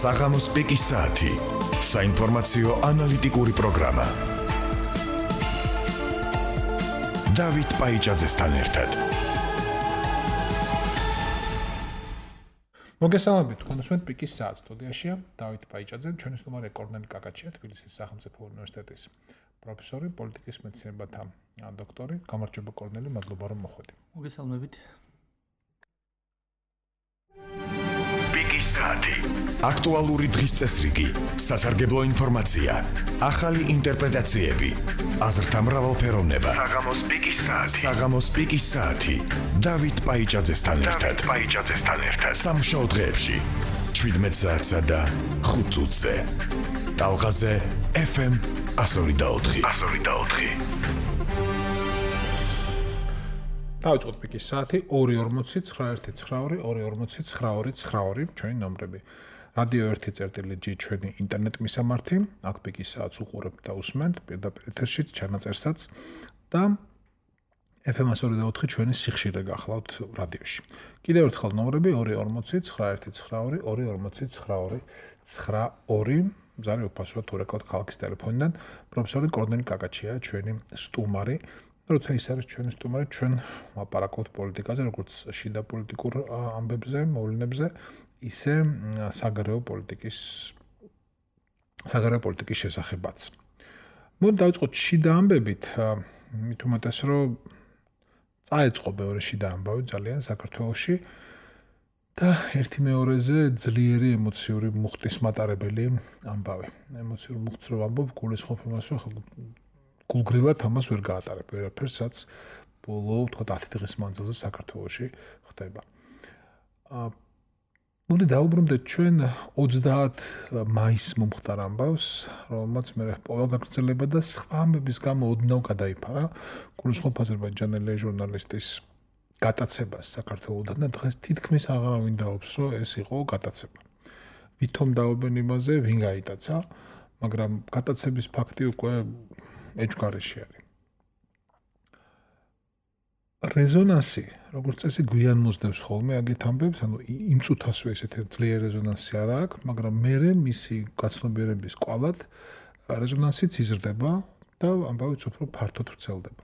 საღამოს პიკის საათი. საინფორმაციო ანალიტიკური პროგრამა. დავით პაიჭაძესთან ერთად. მოგესალმებით, თქვენსვენ პიკის საათს სტუდიაშია დავით პაიჭაძე, ჩვენი სტუმარი კორნელი კაკაჩია, თბილისის სახელმწიფო უნივერსიტეტის პროფესორი, პოლიტიკის მეცნიერებათა დოქტორი. გამარჯობა კორნელი, მადლობა რომ მოხვედი. მოგესალმებით. პიკის საათი. აქტუალური დღის წესრიგი, სასარგებლო ინფორმაცია, ახალი ინტერპრეტაციები, აზრთა მრავალფეროვნება. საღამოს პიკის საათი. საღამოს პიკის საათი. დავით პაიჭაძესთან ერთად. სამშაბათ დღეებში 17 საათსა და 5 წუთზე. ტალღაზე FM 102.4. დავიწყოთ პიკის საათი 2:49-9:42-2:49-9:42 ჩვენი ნომრები. რადიო 1.G ჩვენი ინტერნეტ მისამართი, აქ პიკის საათს უყურებთ და უსმენთ პირდაპირ ეთერში ჩანაწერსაც და FM 102.4 ჩვენი სიხშირე გახლავთ რადიოში. კიდევ ერთხელ ნომრები 2:49-9:42-2:49-9:42. ზარი უფასოა თუ რეკავთ ქალაქის ტელეფონიდან. პროფესორი კორნელი კაკაჩია ჩვენი სტუმარი. როცა ის არის ჩვენი სტუმარი, ჩვენ ვაპარაკობთ პოლიტიკაზე, როგორც შიდა პოლიტიკურ ამბებზე, მოვლენებზე, ისე საგარეო პოლიტიკის შესახებაც. მოდი დავიწყოთ შიდა ამბებით, მით უმეტეს რომ წაეწყო ბევრი შიდა ამბავი ძალიან საქართველოში და ერთი მეორეზე ძლიერი ემოციური მუხტის მატარებელი ამბავი. ემოციური მუხტს რო ვამბობ, გულისხმობ იმას, რომ გულგრილად ამას ვერ გაატარებ ვერაფერს, რაც ბოლო, თქვა 10 დღის მანძილზე საქართველოში ხდება. მოდი დავუბრუნდეთ ჩვენ 30 მაისს მომხდარ ამბავს, რომელმაც მე ყოველგაგრძელება და სხვა ამბების გამო ოდნავ გადაიფარა. გულისხმობ აზერბაიჯანელი ჟურნალისტის გატაცებას საქართველოდან და დღეს თითქმის აღარავინ დაობს, რომ ეს იყო გატაცება. ვითომ დაობენ იმაზე, ვინ გაიტაცა, მაგრამ გატაცების ფაქტი უკვე ეჭვგარეშე არის. რეზონანსი, როგორც წესი, გვიან მოსდევს ხოლმე აგეთ ამბებს, ანუ იმ წუთასვე ესეთი ძლიერი რეზონანსი არ აქვს, მაგრამ მერე მისი გაცნობიერების კვალად რეზონანსიც იზრდება და ამბავიც უფრო ფართოდ ვრცელდება.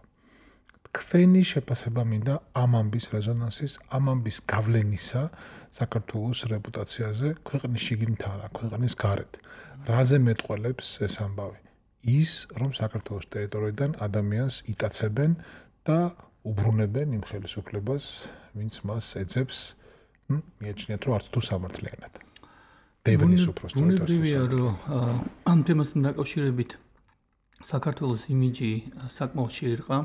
თქვენი შეფასება მინდა ამ ამბის რეზონანსის, ამ ამბის გავლენისა საქართველოს რეპუტაციაზე, ქვეყნის შიგნით არა, ქვეყნის გარეთ. რაზე მეტყველებს ეს ამბავი? ის, რომ საქართველოს ტერიტორიიდან ადამიანს იტაცებენ და უბრუნებენ იმ ხელისუფლებას, ვინც მას ეძებს, მიაჩნიათ, რომ არც თუ სამართლიანად. დევნის უბრალოდ უნებრივია, რომ ამ თემასთან დაკავშირებით საქართველოს იმიჯი საკმაოდ შეირყა,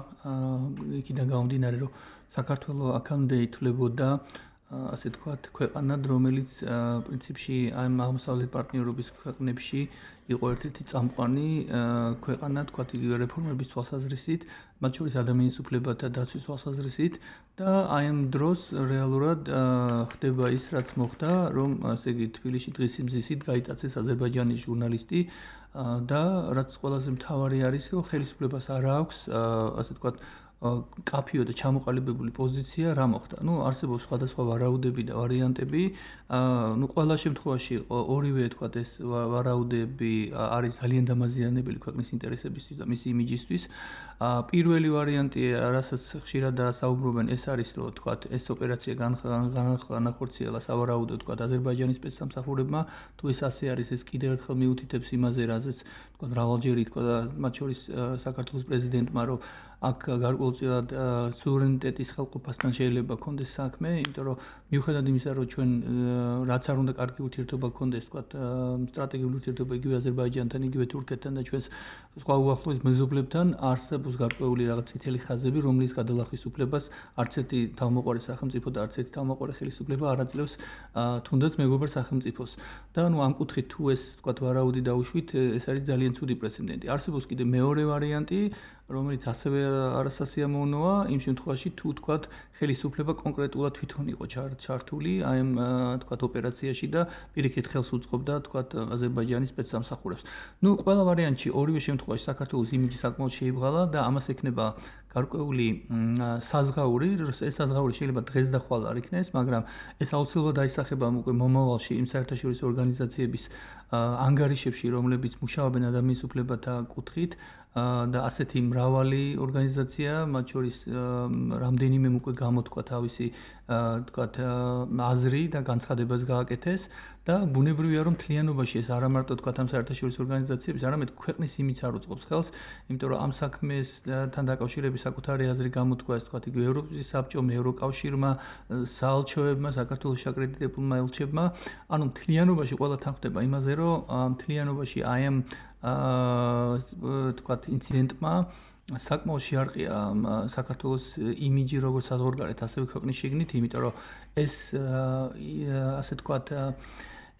იქიდან გამომდინარე, რომ საქართველო აქამდე ითვლებოდა ასე თქვათ, ქვეყანად, რომელიც პრინციპში ამ აღმოსავლეთ პარტნიორობის ქვეყნებში იყო ერთ-ერთი წამყვანი ქვეყანა, თქვათ, იგივე რეფორმების თვალსაზრისით, მათ შორის ადამიანის უფლებათა დაცვის თვალსაზრისით და აი ამ დროს რეალურად ხდება ის, რაც მოხდა, რომ ასე იგი თბილისში დღის მზისით გაიტაცეს აზერბაიჯანის ჟურნალისტი და რაც ყველაზე მთავარი არის, რომ ხელისუფლებას არ აქვს, ასე თქვათ, კაფიო და ჩამოყალიბებული პოზიცია რა მოხდა. არსებობს სხვადასხვა ვარაუდები და ვარიანტები. ყველა შემთხვევაში ორივე თქვათ ეს ვარაუდები არის ძალიან დამაზიანებელი ქვეყნის ინტერესებისთვის და მისი იმიჯისთვის. პირველი ვარიანტი, რასაც ხშირადაა საუბრობენ, ეს არის, რომ თქვათ ეს ოპერაცია განახორციელა სავარაუდოდ თქვათ აზერბაიჯანის სპეცსამსახურებმა. თუ ეს ასე არის, ეს კიდევ ერთხელ მიუთითებს იმაზე, რაზეც თქვათ მრავალჯერი თქვა და მათ შორის საქართველოს პრეზიდენტმა, რომ აქ გარკვეულწილად სუვერენიტეტის ხელყოფასთან შეიძლება გქონდეს საქმე, იმიტომ რომ მიუხედავად იმისა, რომ ჩვენ რაც არ უნდა კარგი ურთიერთობა გქონდეს, თქვათ სტრატეგიული ურთიერთობა იგივე აზერბაიჯანთან, იგივე თურქეთთან და ჩვენს სხვა უახლოეს მეზობლებთან არსებობს გარკვეული რაღაც წითელი ხაზები, რომლის გადალახვის უფლებას არც ერთი თავმოყარი სახელმწიფო და არც ერთი თავმოყარი ხელისუფლება არ აძლევს თუნდაც მეგობარ სახელმწიფოს. და ამ კუთხით თუ ეს თქვათ ვარაუდი დაუშვით, ეს არის ძალიან ცუდი პრეცედენტი. არსებობს კიდე მეორე ვარიანტი, რომელიც ასევე არასასიამოვნოა, იმ შემთხვევაში თუ თქვათ ხელისუფლება კონკრეტულად თვითონ იყო ჩართული აი ამ თქვათ ოპერაციაში და პირიქით ხელს უწყობდა თქვათ აზერბაიჯანის სპეცსამსახურებს. ყველა ვარიანტში ორივე შემთხვევაში საქართველოს იმიჯი საკმაოდ შეიბღალა და ამას ექნება გარკვეული საზღაური, ეს საზღაური შეიძლება დღეს და ხვალ არ იქნეს, მაგრამ ეს აუცილებლად აისახება უკვე მომავალში იმ საერთაშორისო ორგანიზაციების ანგარიშებში, რომლებიც მუშაობენ ადამიანის უფლებათა კუთხით და ასეთი მრავალი ორგანიზაცია, მათ შორის რამდენიმე უკვე გამოთქვა თავისი თქვათ აზრი და განცხადებას გააკეთეს და ბუნებრივია რომ მთლიანობაში ეს არა მარტო თქვათ ამ საერთაშორისო ორგანიზაციების, არამედ ქვეყნის იმიც არ უწყობს ხელს, იმიტომ რომ ამ საქმესთან დაკავშირების საკუთარი აზრი გამოთქვა ეს თქვათ ევროპის საბჭომ, ევროკავშირმა, საელჩოებმა, საქართველოს აკრედიტებულმა ელჩებმა, ანუ მთლიანობაში ყველა თანხდება იმაზე, რომ მთლიანობაში აი ამ თქვათ ინციდენტმა საკმაოდ შეარყია საქართველოს იმიჯი როგორც საზღვარგარეთ, ასევე ქვეყნის შიგნით, იმიტომ რომ ეს ასე თქვათ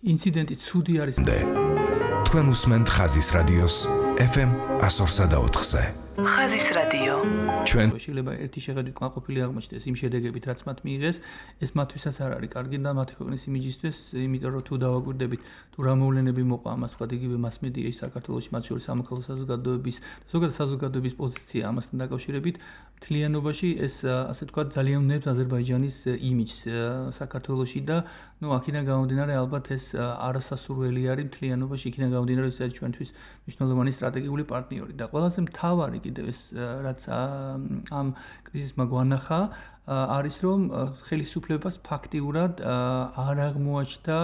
ინციდენტი ცუდი არის. თქვენ უსმენთ ხაზის რადიოს FM 104.4-ზე. ხაზის რადიო. ჩვენ შეიძლება ერთი შეხედვით კმაყოფილი აღმოჩნდეს იმ შედეგებით, რაც მათ მიიღეს, ეს მათთვისაც არ არის კარგი და მათი ქვეყნის იმიჯისთვის, იმიტომ რომ თუ დავაკვირდებით, თუ რა მოვლენები მოყვა ამას, თქვა იგივე მასმედიაში საქართველოში, მათ შორის სამოქალაქო საზოგადოების და ზოგადად საზოგადოების პოზიცია ამასთან დაკავშირებით, მთლიანობაში ეს ასე თქვა ძალიან უნებს აზერბაიჯანის იმიჯს საქართველოში და ნუ აქედან გამომდინარე ალბათ ეს არასასურველი არის მთლიანობაში, იქიდან გამომდინარე ეს არის ჩვენთვის მნიშვნელოვანი სტრატეგიული პარტნიორი და ყველაზე მთავარი კიდევ ეს რაც ამ კრიზისმა გვანახა არის რომ ხელისუფლებას ფაქტიურად არ აღმოაჩნდა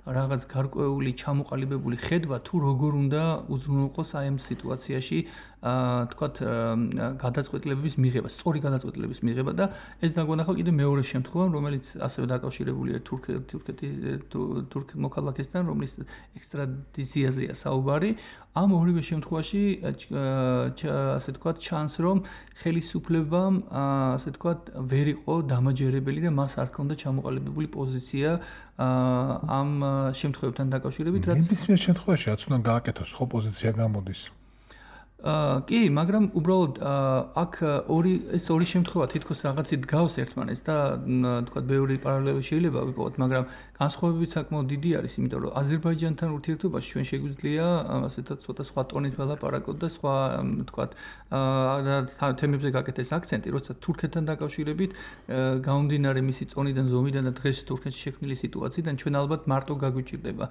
რაღაც გარკვეული ჩამოყალიბებული ხედვა თუ როგორ უნდა უზრუნველყოს აი ამ სიტუაციაში თქვათ გადაწყვეტილებების მიღება, სწორი გადაწყვეტილებების მიღება და ეს დაგვანახა კიდე მეორე შემთხვევა, რომელიც ასევე დაკავშირებულია თურქ მოქალაქესთან, რომლის ექსტრადიციაზეა საუბარი. ამ ორივე შემთხვევაში ასე თქვათ ჩანს, რომ ხელისუფლებამ ასე თქვათ ვერ იყო დამაჯერებელი და მას არ ჰქონდა ჩამოყალიბებული პოზიცია ამ შემთხვევებთან დაკავშირებით, რაც ნებისმიერ შემთხვევაში რაც უნდა გააკეთოს, ხო პოზიცია გამოდის. კი, მაგრამ უბრალოდ აქ ეს ორი შემთხვევა თითქოს რაღაცით გავს ერთმანეთს და თქვათ ბევრი პარალელი შეიძლება ვიპოვოთ, მაგრამ განსხვავებები საკმაოდ დიდი არის, იმიტომ რომ აზერბაიჯანთან ურთიერთობაში ჩვენ შეგვიძლია ასეთად ცოტა სხვა ტონით ველაპარაკოთ და სხვა თქვათ თემებზე გაკეთდეს აქცენტი, როცა თურქეთთან დაკავშირებით გამომდინარე მისი წონიდან, ზომიდან და დღეს თურქეთში შექმნილი სიტუაციიდან ჩვენ ალბათ მარტო გაგვიჭირდება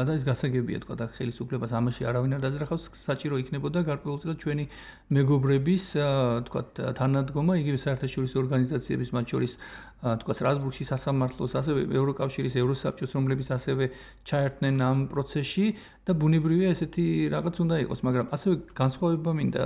და ეს გასაგებია თქვათ აქ ხელისუფლებას ამაში არავინ არ დაძრახავს, საჭირო იქნებოდა გარკვეულწილად ჩვენი მეგობრების თქვათ თანადგომა, იგივე საერთაშორისო ორგანიზაციების, მათ შორის თქვათ სტრასბურგში სასამართლოს, ასევე ევროკავშირის, ევროსაბჭოს, რომლებიც ასევე ჩაერთნენ ამ პროცესში და ბუნებრივია ესეთი რაღაც უნდა იყოს, მაგრამ ასევე განსხვავება მინდა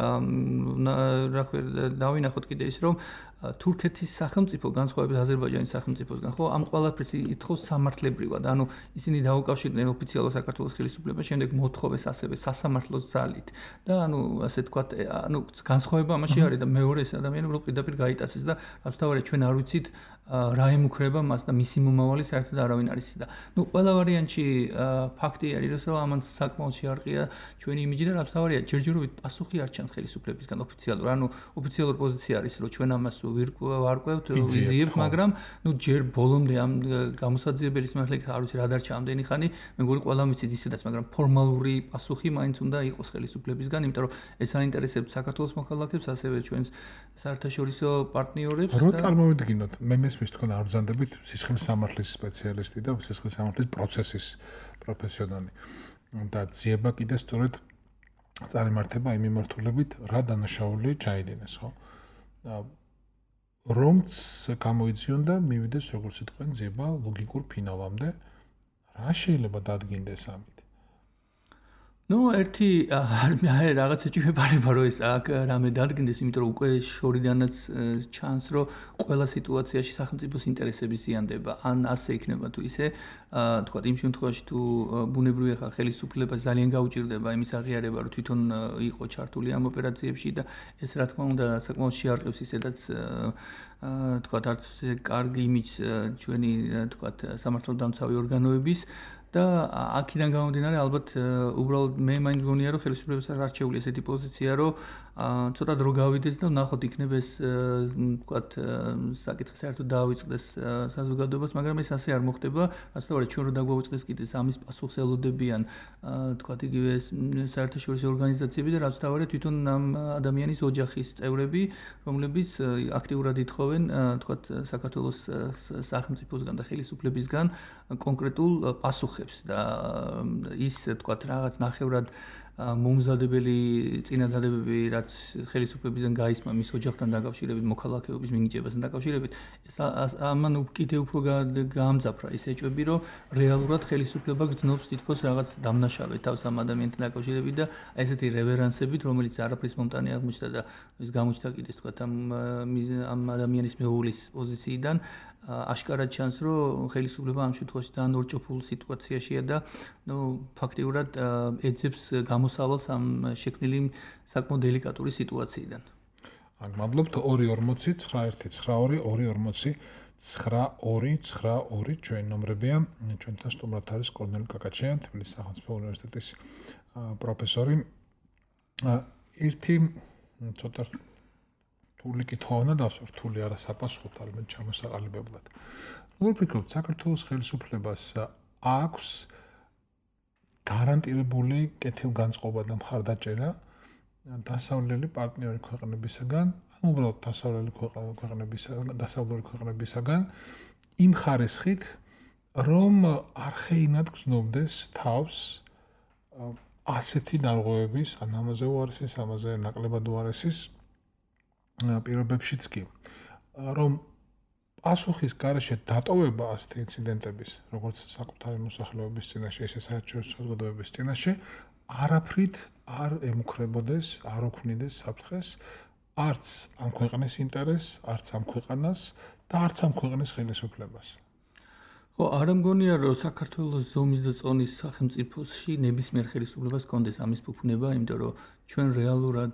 რა ქვია დავინახოთ კიდე ის, რომ თურქეთის სახელმწიფო განსხვავებით აზერბაიჯანის სახელმწიფოსგან, ხო, ამ ყველაფერს ითხოვს სამართლებრივად, ანუ ისინი დაუკავშირდნენ ოფიციალურ საქართველოს ხელისუფლებას, შემდეგ მოთხოვეს ასევე სასამართლოს ძალით და ანუ ასე თქვათ, ანუ განსხვავება ამაში არის და მეორე ეს ადამიანი უბრალოდ პირდაპირ გაიტაცეს და რასთავარია ჩვენ არ ვიცით რა ემუქრება მას და მისი მომავალი საერთოდ არავინ არის და ნუ ყველა ვარიანტში ფაქტი არის რომ ამან საკმაოდ შეარყია ჩვენი იმიჯი და რასთავარია ჯერჯერობით პასუხი არ ჩანს ხელისუფლებისგან ოფიციალურ, ანუ ოფიციალური პოზიცია არის რომ ჩვენ ამას ვარკვევთ, ვიზიებთ, მაგრამ ნუ ჯერ ბოლომდე ამ გამოსაძიებელის მართლაც არ ვიცი რა დარჩა ამდენი ხანი, მე მგონი ყველამ იცით ისედაც, მაგრამ ფორმალური პასუხი მაინც უნდა იყოს ხელისუფლებისგან, იმიტომ რომ ეს აინტერესებს საქართველოს მოქალაქეებს, ასევე ჩვენს საერთაშორისო პარტნიორებს და რო წარმოვიდგინოთ, მე მესმის თქვენ არ ბრძანდებით სისხლის სამართლის სპეციალისტი და სისხლის სამართლის პროცესის პროფესიონალი და ძიება კიდე სწორედ წარიმართება იმ მიმართულებით, რა დანაშაული ჩაიდინეს, ხო? რომც გამოიძიონ და მივიდეს როგორც თქვენ ძიება ლოგიკურ ფინალამდე, რა შეიძლება დადგინდეს ამით? ნუ ერთი რაღაცა ჭირდება რომ ეს აქ რამე დადგინდეს, იმიტომ რომ უკვე შორიდანაც ჩანს რომ ყველა სიტუაციაში სახელმწიფოს ინტერესები ზიანდება, ან ასე იქნება თუ ისე, თქვა იმ შემთხვევაში თუ ბუნებრივია ხა ხელისუფლებას ძალიან გაუჭირდება იმის აღიარება რომ თვითონ იყო ჩართული ამ ოპერაციებში და ეს რა თქმა უნდა საკმაოდ შეარყევს ისედაც თქვა არც კარგი იმიჯს ჩვენი თქვა სამართალდამცავი ორგანოების და აქედან გამომდინარე ალბათ უბრალოდ მე მაინც გონია რომ ხელისუფლებას არჩეული ესეთი პოზიცია რომ ცოტა დრო გავიდეს და ნახოთ იქნება ეს ვთქვათ საკითხი საერთოდ დაავიწყდეს საზოგადოებას, მაგრამ ეს ასე არ მოხდება. ასწორედ ჩვენ რო დაგვაუწყდეს კიდეს ამის პასუხს ელოდებიან ვთქვათ იგივე საერთაშორისო ორგანიზაციები და რაც თავარი თვითონ ამ ადამიანის ოჯახის წევრები, რომლებიც აქტიურად ითხოვენ ვთქვათ საქართველოს სახელმწიფოსგან და ხელისუფლებისგან კონკრეტულ პასუხებს და ის ვთქვათ რაღაც ნახევრად მომზადებელი წინადადებები, რაც ხელისუფლებიდან გაისმა მის ოჯახთან დაკავშირებით, მოქალაქეობის მინიჭებასთან დაკავშირებით, ეს ამან კიდევ უფრო გაამძაფრა ის ეჭვები, რომ რეალურად ხელისუფლება გრძნობს თითქოს რაღაც დამნაშავედ თავს ამ ადამიანთან დაკავშირებით და ესეთი რევერანსებით, რომელიც არაფრის მომტანი აღმოჩნდა და ის გამოჩნდა კიდეს თქვათ ამ ადამიანის მეუღლის პოზიციიდან აშკარად ჩანს, რომ ხელისუფლება ამ შემთხვევაში ძალიან ორჭოფულ სიტუაციაშია და ფაქტიურად ეძებს გამოსავალს ამ შექმნილი საკმაოდ დელიკატური სიტუაციიდან. მადლობთ 240-91-940-92-92 ჩვენ ნომრებია. ჩვენთან სტუმრად არის კორნელი კაკაჩიანი, თბილისის სახელმწიფო უნივერსიტეტის პროფესორი. ერთი ცოტა რთული კითხავნა დასურთული არა საპასუხოდ, არამედ ჩამოსაყალიბებლად. როგორ ფიქრობთ, საქართველოს ხელისუფლებას აქვს გარანტირებული კეთილგანწყობა და მხარდაჭერა დასავლელი პარტნიორი ქვეყნებისაგან, ან უბრალოდ დასავლური ქვეყნებისაგან იმ ხარისხით, რომ არხეინად გრძნობდეს თავს ასეთი დარღვევების, ან ამაზე უარესის, ამაზე ნაკლებად უარესის პირობებშიც კი, რომ პასუხის გარეშე დატოვება ასეთი ინციდენტების, როგორც საკუთარი მოსახლეობის წინაშე, ისე საერთაშორისო საზოგადოების წინაშე, არაფრით არ ემუქრებოდეს, არ ოქმნიდეს საფრთხეს, არც ამ ქვეყნის ინტერესს, არც ამ ქვეყანას და არც ამ ქვეყნის ხელისუფლებას. ხო, არ მგონია, რომ საქართველოს ზომის და წონის სახელმწიფოში ნებისმიერ ხელისუფლებას კონდეს ამის ფუფუნება, იმიტომ რომ ჩვენ რეალურად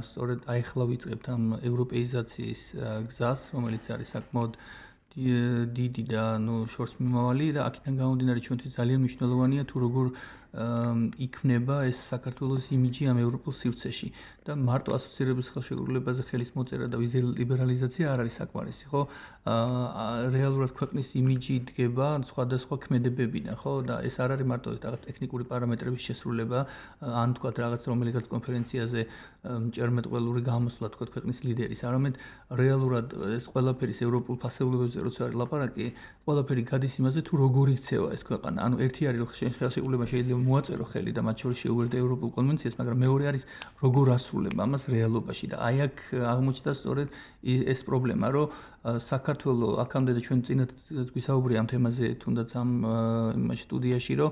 სწორედ აიხლა ვიწყებთ ამ ევროპეიზაციის გზას, რომელიც არის საკმაოდ დიდი და შორსმიმავალი და აქედან გამომდინარე ჩვენთვის ძალიან მნიშვნელოვანია თუ როგორ იქნება ეს საქართველოს იმიჯი ამ ევროპულ სივრცეში და მარტო ასოცირების ხელშეკრულებაზე ხელის მოწერა და ვიზის ლიბერალიზაცია არ არის საკმარისი, ხო? რეალურად ქვეყნის იმიჯი დგება სხვადასხვა ქმედებებიდან, ხო? და ეს არ არის მარტო რაღაც ტექნიკური პარამეტრების შესრულება, ან თქვათ რაღაც რომელიღაც კონფერენციაზე მჭერმეტყველური გამოსვლა თქვათ ქვეყნის ლიდერის, არამედ რეალურად ეს ყველაფერი ევროპულ ფასეულებებზე როცა არის ლაპარაკი, ყველაფერი გადის იმაზე თუ როგორ იქცევა ეს ქვეყანა. ანუ ერთი არის რომ ხელშეკრულება შეიძლება მოაწერო ხელი და მათ შორის შეუერთდა ევროპულ კონვენციას, მაგრამ მეორე არის როგორ ასრულება ამას რეალობაში და აი აქ აღმოჩნდა სწორედ ეს პრობლემა, რომ საქართველოს აქამდე და ჩვენ წინათ გვისაუბრია ამ თემაზე თუნდაც ამ სტუდიაში, რომ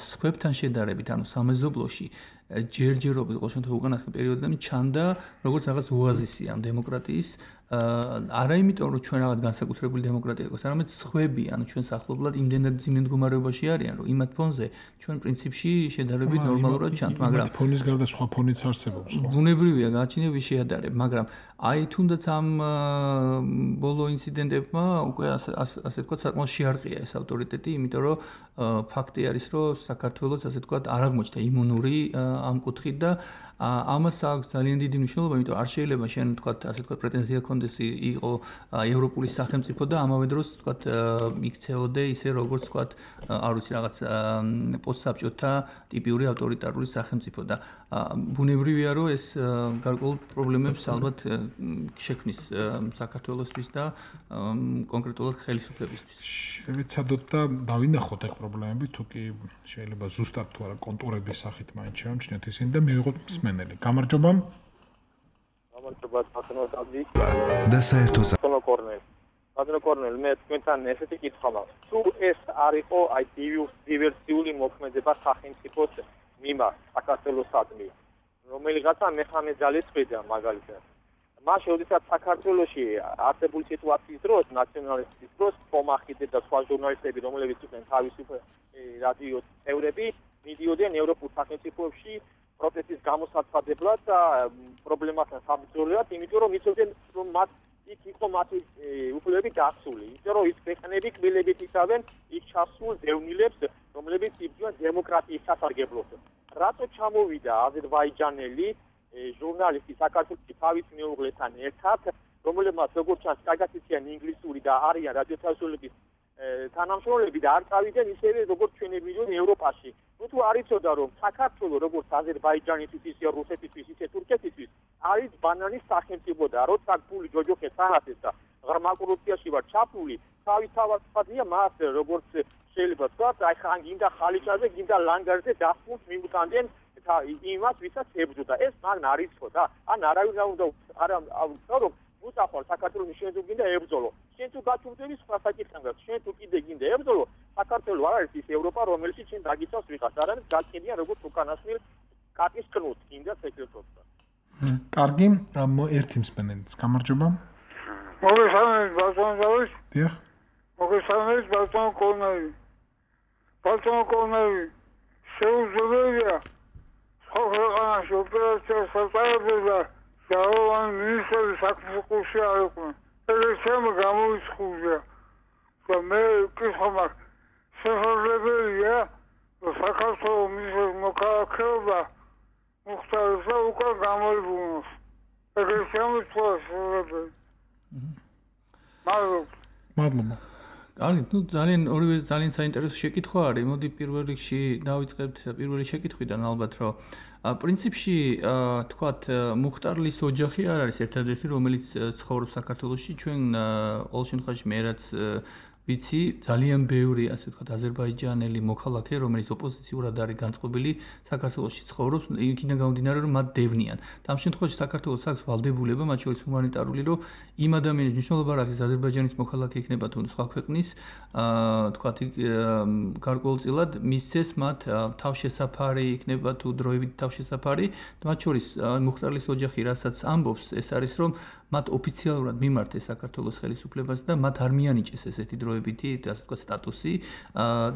სხვებთან შედარებით, ანუ სამეზობლოში ჯერჯერობით ყოველ შემთხვევაში უკანასკნელ პერიოდიდან ჩანდა როგორც რაღაც ოაზისი ამ დემოკრატიის არა იმიტომ რომ ჩვენ რაღაც განსაკუთრებული დემოკრატია გვაქვს, არამედ სხვები, ანუ ჩვენ სახლობლად იმდენად ძიმე მდგომარეობაში არიან, რომ იმათ ფონზე ჩვენ პრინციპში შედარებით ნორმალურად ჩანთ, მაგრამ იმათ ფონის გარდა სხვა ფონიც არსებობს, ხო? ბუნებრივია გააჩნია ვის შეადარებ, მაგრამ აი თუნდაც ამ ბოლო ინციდენტებმა უკვე ასე ვთქვათ საკმაოდ შეარყია ეს ავტორიტეტი, იმიტომ რომ ფაქტი არის, რომ საქართველოს ასე ვთქვათ არ აღმოჩნდა იმუნური ამ კუთხით და ამას აქვს ძალიან დიდი მნიშვნელობა, იმიტომ რომ არ შეიძლება შენ ვთქვათ ასე ვთქვათ პრეტენზია ქონდეს იყო ევროპული სახელმწიფო და ამავე დროს ვთქვათ იქცეოდე ისე როგორც ვთქვათ არ ვიცი რაღაც პოსტსაბჭოთა ტიპიური ავტორიტარული სახელმწიფო და ბუნებრივია რომ ეს გარკვეულ პრობლემებს ალბათ შექმნის საქართველოსთვის და კონკრეტულად ხელისუფლებისთვის. შევეცადოთ და დავინახოთ ეგ პრობლემები, თუ კი შეიძლება ზუსტად თუ არა კონტურების სახით მაინც შევამჩნიოთ ისინი და მივიღოთ მსმენელი. გამარჯობა. გამარჯობა ბატონო დავდი. და საერთოდ ბატონო კორნელი, მე თქვენთან ესეთი კითხვა მაქვს. თუ ეს არ იყო აი დივერსიული მოქმედება სახელმწიფოს მიმართ საქართველოსადმი, რომელიღაცა მეხანე ძალისხმედა მაგალითად. მაშინ, როდესაც საქართველოში არსებული სიტუაციის დროს, ნაციონალისტების დროს, ფომახიდე და სხვა ჟურნალისტები, რომლებიც იყვნენ თავისუფლ რადიოს წევრები, მიდიოდნენ ევროპულ სახელმწიფოებში პროტესტის გამოსაცადებლად და პრობლემასთან საბრძოლველად, იმიტომ რომ იცოდნენ, რომ მათ იქ იყო მათი უფლებები დაცული. იმიტომ რომ ის ქვეყნები კბილებით იცავენ იქ ჩასულ დევნილებს, რომლებიც დემოკრატიის სასარგებლოდ. რატო ჩამოვიდა აზერბაიჯანელი ჟურნალისტი საქართველოში თავის მეუღლესთან ერთად, რომელმაც როგორც ჩანს, კარგად იციან ინგლისური და არიან რადიოთავისუფლების თანამშრომლები და არ წავიდნენ ისევე როგორც ჩვენი მილიონი ევროპაში. თუ არ იცოდა რომ საქართველოს როგორც აზერბაიჯანისთვის, ისე რუსეთისთვის, ისე თურქეთისთვის არის ბანანის სახელმწიფო და როცა ფული ჯოჯოხეთს ანათეს და ღრმა კორუფციაში ვარ ჩაფული, თავისთავადია მას როგორც შეიძლება თქვა, აი ხან გინდა ხალიჩაზე, გინდა ლანგარზე დასმულს მიუტანდნენ იმას, ვისაც ებრძოდა. ეს მან არ იცოდა და ან არავინ არ უნდა რომ უსახვალ საქართველოს შენ თუ გინდა ებრძოლო. შენ თუ გაჩუმდები სხვა საკითხთან და შენ თუ კიდე გინდა ებრძოლო, საქართველოს არ არის ის ევროპა, რომელიც შენ დაგიცავს ვიღაც, არამედ გაკიდიან როგორც უკანასკნელ კატის კნუს, გინდა სეკრეტორს. კარგი, ერთი მსმენელიც, გამარჯობა. მოგესალმებით, ბატონო. დიახ. მოგესალმებით, ბატონო კოლნაი. ბატონო კოლნაი, შეუძლებელია ქვეყანაში ოპერაციას აწარმოება დაავადებული მინისტრები საქმეში არ იყვნენ. ეგრეცემ გამოიცხულა. და მე კითხვა მაქვს, შესაძლებელია საქართველოს მინისტრის მოქალაქეობა მუხტარისა უკვე გამოიბრუნოს. ეგრეცემ შესაძლებელი. მადლობა. კარგი, ორივე ძალიან საინტერესო შეკითხვა არის. მოდი პირველ რიგში დავიწყებთ პირველი შეკითხვიდან ალბათ, რომ პრინციპში თქვათ მუხტარლის ოჯახი არ არის ერთადერთი, რომელიც ცხოვრობს საქართველოში. ჩვენ ყოველ შემთხვევაში მე რაც ვიცი, ძალიან ბევრი, ასე ვთქვათ, აზერბაიჯანელი მოქალაქე, რომელიც ოპოზიციურად არის განწყობილი, საქართველოში ცხოვრობს, იქიდან გამომდინარე, რომ მათ დევნიან. და ამ შემთხვევაში საქართველოს აქვს ვალდებულება, მათ შორის ჰუმანიტარული, რომ იმ ადამიანის მნიშვნელობა რა არის, აზერბაიჯანის მოქალაქე იქნება თუ სხვა ქვეყნის, თქვათ, გარკვეულწილად მისცეს მათ თავშესაფარი, იქნება თუ დროებით თავშესაფარი, მათ შორის მუხტარლის ოჯახი, რასაც ამბობს, ეს არის, რომ მათ ოფიციალურად მიმართეს საქართველოს ხელისუფლებას და მათ არ მიანიჭეს ესეთი დროებითი, ასე ვთქვათ, სტატუსი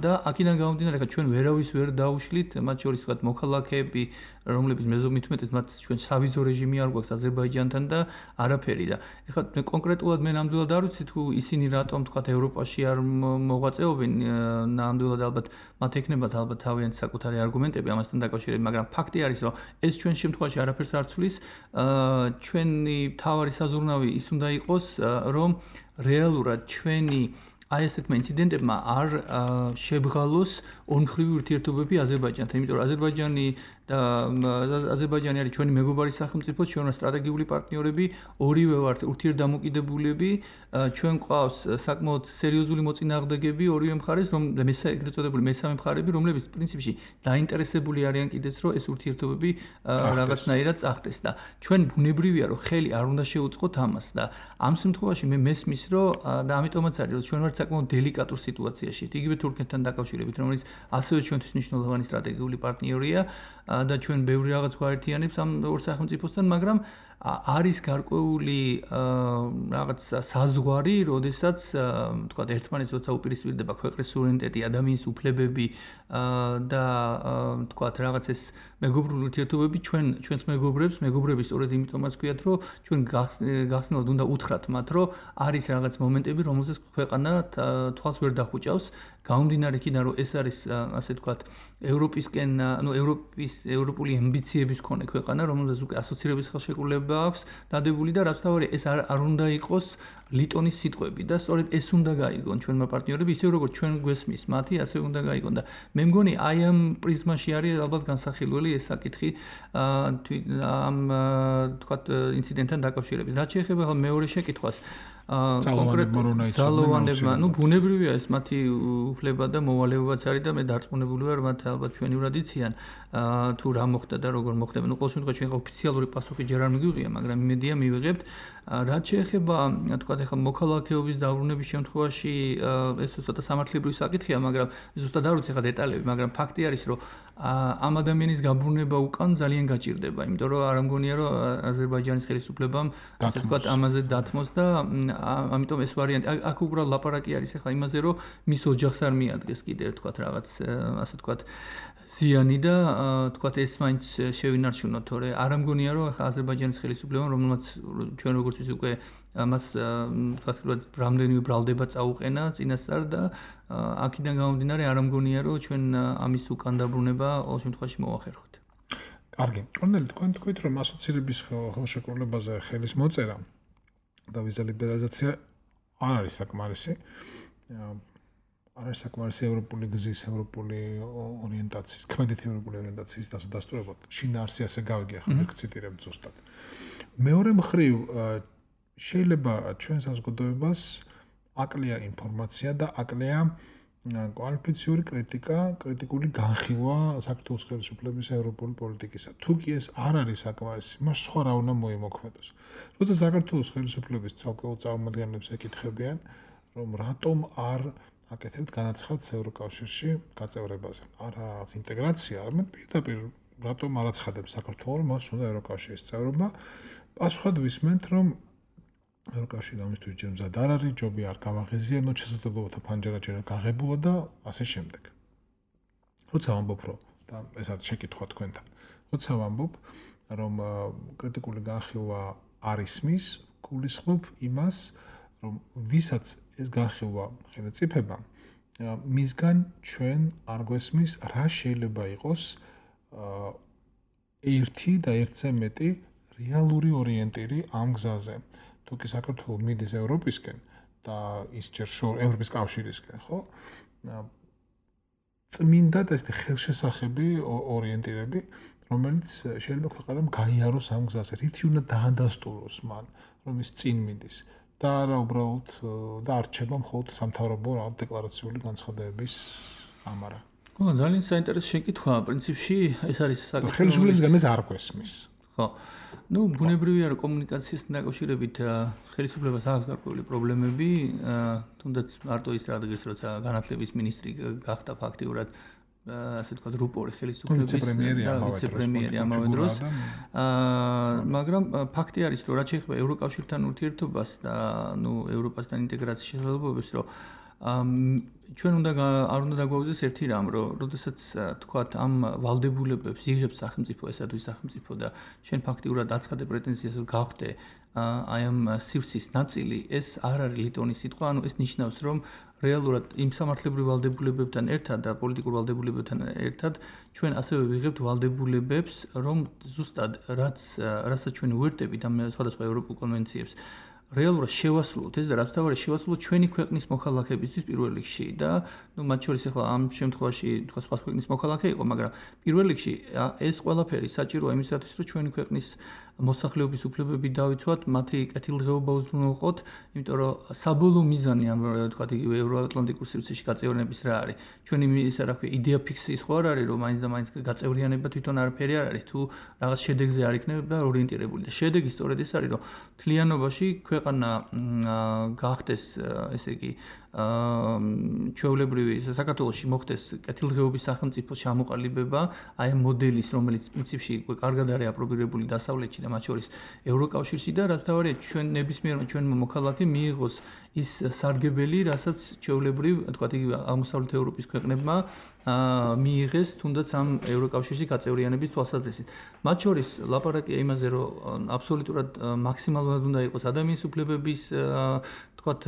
და აქედან გამომდინარე, ხა ჩვენ ვერავის ვერ დაუშლით, მათ შორის ვთქვათ, მოქალაქეები, რომლების მეზობლით უმეტეს მათ ჩვენ სავიზო რეჟიმი არ გვაქვს აზერბაიჯანთან და არაფერი და ეხლა კონკრეტულად მე ნამდვილად არ ვიცი თუ ისინი რატომ თქვათ ევროპაში არ მოღვაწეობენ, ნამდვილად ალბათ მათ ექნებათ ალბათ თავიანთი საკუთარი არგუმენტები ამასთან დაკავშირებით, მაგრამ ფაქტი არის, რომ ეს ჩვენ შემთხვევაში არაფერს არ ცვლის, ჩვენი თავარი საზრუნავი ის უნდა იყოს, რომ რეალურად ჩვენი აი ესეთმა ინციდენტებმა არ შებღალოს ორმხრივი ურთიერთობები აზერბაიჯანთან, იმიტომ რომ აზერბაიჯანი არის ჩვენი მეგობარი სახელმწიფო, ჩვენი სტრატეგიული პარტნიორები, ორივე ვართ ურთიერთდამოკიდებულები, ჩვენ გვყავს საკმაოდ სერიოზული მოწინააღმდეგები ორივე მხარეს, ეგრეთ წოდებული მესამე მხარები, რომლებიც პრინციპში დაინტერესებული არიან კიდეც, რომ ეს ურთიერთობები რაღაცნაირად წახდეს და ჩვენ ბუნებრივია, რომ ხელი არ უნდა შეუწყოთ ამას და ამ შემთხვევაში მე მესმის, რომ და ამიტომაც არის, რომ ჩვენ ვართ საკმაოდ დელიკატურ სიტუაციაში, იგივე თურქეთთან დაკავშირებით, რომელიც ასევე ჩვენთვის მნიშვნელოვანი სტრატეგიული პარტნიორია და ჩვენ ბევრი რაღაც გვაერთიანებს ამ ორ სახელმწიფოსთან, მაგრამ არის გარკვეული რაღაც საზღვარი, როდესაც თქვა ერთმანეთს როცა უპირისპირდება ქვეყნის სუვერენიტეტი, ადამიანის უფლებები და თქვა რაღაც ეს მეგობრული ურთიერთობები ჩვენს მეგობრებს სწორედ იმიტომაც ვქვიათ, რომ ჩვენ გახსნილად უნდა უთხრათ მათ, რომ არის რაღაც მომენტები, რომელზეც ქვეყანა თვალს ვერ დახუჭავს, გამომდინარე იქიდან, რომ ეს არის ასე ვთქვათ ევროპისკენ, ევროპული ამბიციების მქონე ქვეყანა, რომელზეც უკვე ასოცირების ხელშეკრულება აქვს დადებული და რაც თავარია, ეს არ უნდა იყოს ლიტონის სიტყვები და სწორედ ეს უნდა გაიგონ ჩვენმა პარტნიორები, ისე როგორც ჩვენ გვესმის მათი, ასე უნდა გაიგონ და მე მგონი აი ამ პრიზმაში არის ალბათ განსახილველი ეს საკითხი ამ თქვათ ინციდენტთან დაკავშირებით. რაც შეეხება ახლა მეორე შეკითხვას, ძალოვანებმა, ბუნებრივია ეს მათი უფლება და მოვალეობაც არის და მე დარწმუნებული ვარ, მათ ალბათ ჩვენივრად იციან თუ რა მოხდა და როგორ მოხდება. ყოველ შემთხვევაში ჩვენ ოფიციალური პასუხი ჯერ არ მიგვიღია, მაგრამ იმედია მივიღებთ. რაც შეეხება, თქვათ, ახლა მოქალაქეობის დაბრუნების შემთხვევაში ეს ცოტა სამართლებრივი საკითხია, მაგრამ ზუსტად არ ვიცი ხა დეტალები, მაგრამ ფაქტი არის, რომ ამ ადამიანის გაბრუნება უკან ძალიან გაჭირდება, იმიტომ რომ არ ამგონია, რომ აზერბაიჯანის ხელისუფლებამ ასე ვთქვათ ამაზე დათმოს და ამიტომ ეს ვარიანტი აქ უბრალოდ ლაპარაკი არის ახლა იმაზე, რომ მის ოჯახს არ მიადგეს კიდე ვთქვათ რაღაც ასე ვთქვათ ზიანი და თქვათ ეს მაინც შევინარჩუნოთ, თორე არ ამგონია, რომ ახლა აზერბაიჯანის ხელისუფლებამ, რომელმაც ჩვენ როგორც ვიცი უკვე მას თქვათ რამდენიმე ბრალდება წაუყენა წინასწარ და აქედან გამომდინარე არ ამგონია რომ ჩვენ ამის უკან დაბრუნება ყოველ შემთხვევაში მოვახერხოთ. კარგი. კონდელი თქვენ თქვით რომ ასოცირების ხელშეკრულებაზე ხელის მოწერა და ვიზა ლიბერალიზაცია არ არის საკმარისი. არ არის საკმარისი ევროპული გზის, ევროპული ორიენტაციის, ქმედითი ევროპული ორიენტაციის დასტურებად. შინაარსი ასე გავიგე, ახლა მე ვციტირებ ზუსტად. მეორე მხრივ შეიძლება ჩვენ საზოგადოებას აკლია ინფორმაცია და აკლია კვალიფიციური კრიტიკა, კრიტიკული განხილვა საქართველოს ხელისუფლების ევროპული პოლიტიკისა. თუ კი ეს არ არის საკმარისი, მას სხვა რა უნდა მოიმოქმედოს. როცა საქართველოს ხელისუფლების ცალკეულ წარმომადგენლებს ეკითხებიან, რომ რატომ არ აკეთებთ განაცხადს ევროკავშირში გაწევრებაზე. არა ინტეგრაცია, არამედ პირდაპირ რატომ არ აცხადებს საქართველოს, მას უნდა ევროკავშირის წევრობა. პასუხად ვისმენთ, რომ ევროკავშირი ამისთვის ჯერ მზად არ არის, ჯობია არ გავაღიზიანოთ, შესაძლებლობათა ფანჯარა ჯერ გაღებულა და ასე შემდეგ. როცა ვამბობ, რომ და ეს არის შეკითხვა თქვენთან. როცა ვამბობ, რომ კრიტიკული განხილვა არ ისმის, გულისხმობ იმას, რომ ვისაც ეს განხილვა ხელმწიფება, მისგან ჩვენ არ გვესმის, რა შეიძლება იყოს ერთი და ერთზე მეტი რეალური ორიენტირი ამ გზაზე. თუ კი საქართველოს მიდის ევროპისკენ და ის ჯერ ევროპის კავშირისკენ, ხო? წმინდა და ესეთი ხელშესახები ორიენტირები, რომელიც შეიძლება ქვეყანამ გაიაროს ამ გზაზე. რითი უნდა დაადასტუროს მან, რომ ის წინ მიდის. და არა უბრალოდ და არჩება მხოლოდ სამთავრობო დეკლარაციული განცხადებების ამარა. ძალიან საინტერესო შეკითხვაა. პრინციპში ეს არის საკითხი. ხელისუფლებისგან ეს არ გვესმის. ხო. ნუ ბუნებრივია რომ კომუნიკაციასთან დაკავშირებით ხელისუფლებას აქვს გარკვეული პრობლემები, თუნდაც მარტო ის რადგან როცა განათლების მინისტრი გახდა ფაქტიურად ასე თქვა რუპორი ხელისუფლების ვიცე-პრემიერი ამავე დროს. მაგრამ ფაქტი არის რომ რაც შეეხება ევროკავშირთან ურთიერთობას და ნუ ევროპასთან ინტეგრაციის შესაძლებლობებს, რომ ჩვენ არ უნდა დაგვაუზეს ერთი რამ, რომ როდესაც თქვათ ამ ვალდებულებებს იღებს სახელმწიფო, ესა თუ ის სახელმწიფო და შენ ფაქტიურად აცხადე პრეტენზიას რომ გავხდე აი ამ სივრცის ნაწილი, ეს არ არის ლიტონის სიტყვა, ანუ ეს ნიშნავს, რომ რეალურად იმ სამართლებრივ ვალდებულებებთან ერთად და პოლიტიკურ ვალდებულებებთან ერთად ჩვენ ასევე ვიღებთ ვალდებულებებს, რომ ზუსტად რასაც ჩვენ ვუერთდებით ამ სხვადასხვა ევროპულ კონვენციებს რეალურად შევასრულოთ ეს და რაც თავარი შევასრულოთ ჩვენი ქვეყნის მოქალაქეებისთვის პირველ რიგში და ნუ მათ შორის ახლა ამ შემთხვევაში თქვა სხვა ქვეყნის მოქალაქე იყო, მაგრამ პირველ რიგში ეს ყველაფერი საჭიროა იმისათვის, რომ ჩვენი ქვეყნის მოსახლეობის უფლებები დავიცვათ, მათი კეთილდღეობა უზრუნველყოთ, იმიტომ რომ საბოლოო მიზანი ამ თქვა ევროატლანტიკურ სივრცეში გაწევრიანების რა არის? ჩვენი ისა რა ქვია იდეა ფიქსი სხვა არ არის, რომ მაინც და მაინც გაწევრიანება თვითონ არაფერი არ არის, თუ რაღაც შედეგზე არ იქნება ორიენტირებული და შედეგი სწორედ ეს არის, რომ მთლიანობაში ქვეყანა გახდეს ესე იგი ჩვეულებრივი საქართველოში მოხდეს კეთილდღეობის სახელმწიფო ჩამოყალიბება, აი ამ მოდელის, რომელიც პრინციპში კარგად არის აპრობირებული დასავლეთში და მათ შორის ევროკავშირში და რაც თავარია ჩვენ ნებისმიერმა ჩვენმა მოქალაქე მიიღოს ის სარგებელი, რასაც ჩვეულებრივ თქვა აღმოსავლეთ ევროპის ქვეყნებმა მიიღეს თუნდაც ამ ევროკავშირში გაწევრიანების თვალსაზრისით. მათ შორის ლაპარაკია იმაზე, რომ აბსოლუტურად მაქსიმალურად უნდა იყოს ადამიანის უფლებების თქვათ